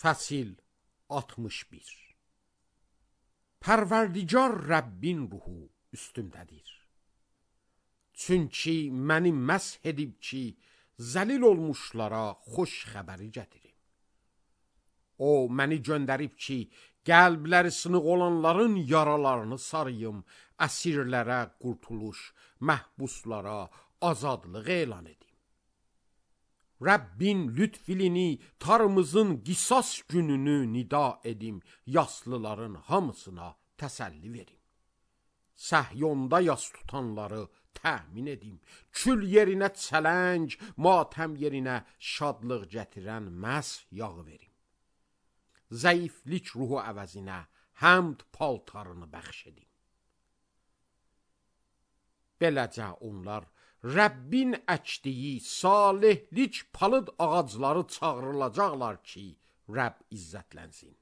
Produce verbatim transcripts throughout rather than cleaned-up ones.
Fəsil altmış bir. Pərverdigar Rəbbin ruhu üstümdədir. Çünki məni məsh edib ki, zəlil olmuşlara xoş xəbəri gətirim. O, məni göndərib ki, qəlbləri sınıq olanların yaralarını sarıyım, əsirlərə qurtuluş, məhbuslara azadlıq elan edim. Rəbbin lütfilini, tarımızın qisas gününü nida edim, yaslıların hamısına təsəlli verim. Səhyonda yas tutanları təmin edim, kül yerinə çələng, matəm yerinə şadlıq gətirən məs yağı verim. Zəiflik ruhu əvəzinə həmd paltarını bəxş edim. Beləcə onlar Rəbbin əkdiyi salihlik palıd ağacları çağrılacaqlar ki, Rəbb izzətlənsin.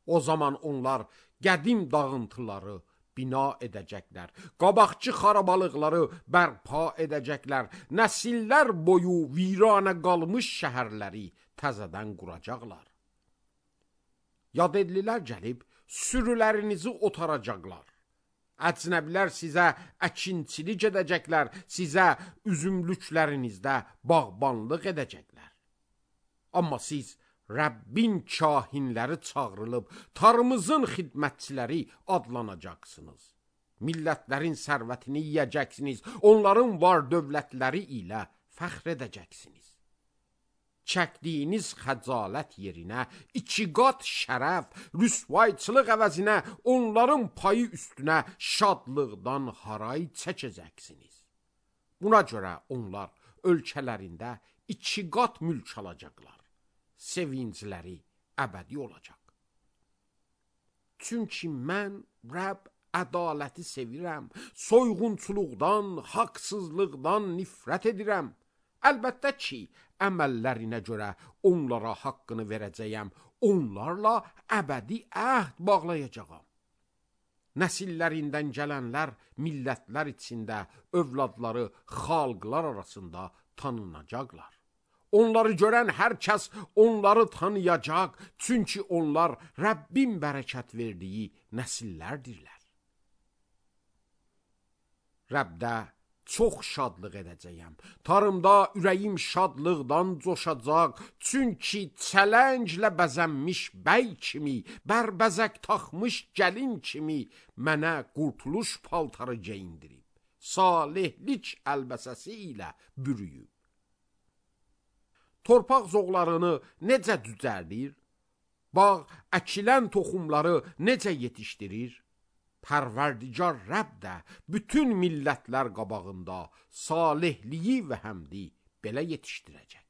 O zaman onlar qədim dağıntıları bina edəcəklər, qabaqçı xarabalıqları bərpa edəcəklər, nəsillər boyu viranə qalmış şəhərləri təzədən quracaqlar. Yadedlilər gəlib sürülərinizi otaracaqlar. Əcnəbilər sizə əkinçilik edəcəklər, sizə üzümlüklərinizdə bağbanlıq edəcəklər. Amma siz Rəbbin kahinləri çağrılıb, tarımızın xidmətçiləri adlanacaqsınız. Millətlərin sərvətini yiyəcəksiniz, onların var dövlətləri ilə fəxr edəcəksiniz. Çəkdiyiniz xəcalət yerinə iki qat şərəf, rüsvayçılıq əvəzinə onların payı üstünə şadlıqdan haray çəkəcəksiniz. Buna görə onlar ölkələrində iki qat mülk alacaqlar. Sevincləri əbədi olacaq. Çünki mən Rəbb ədaləti sevirəm, soyğunçuluqdan, haqsızlıqdan nifrət edirəm. Əlbəttə ki, əməllərinə görə onlara haqqını verəcəyəm, onlarla əbədi əhd bağlayacağam. Nəsillərindən gələnlər millətlər içində, övladları xalqlar arasında tanınacaqlar. Onları görən hər kəs onları tanıyacaq, çünki onlar Rəbbin bərəkət verdiyi nəsillərdirlər. Rəbdə çox şadlıq edəcəyəm. Tarımda ürəyim şadlıqdan coşacaq, çünki çələnglə bəzənmiş bəy kimi, bərbəzək taxmış gəlin kimi mənə qurtuluş paltarı geyindirib, salihlik əlbəsəsi ilə bürüyüb. Torpaq zoğlarını necə düzəldir, bağ əkilən toxumları necə yetişdirir, Pərverdigar Rəbb də bütün millətlər qabağında salihliyi və həmdi belə yetişdirəcək.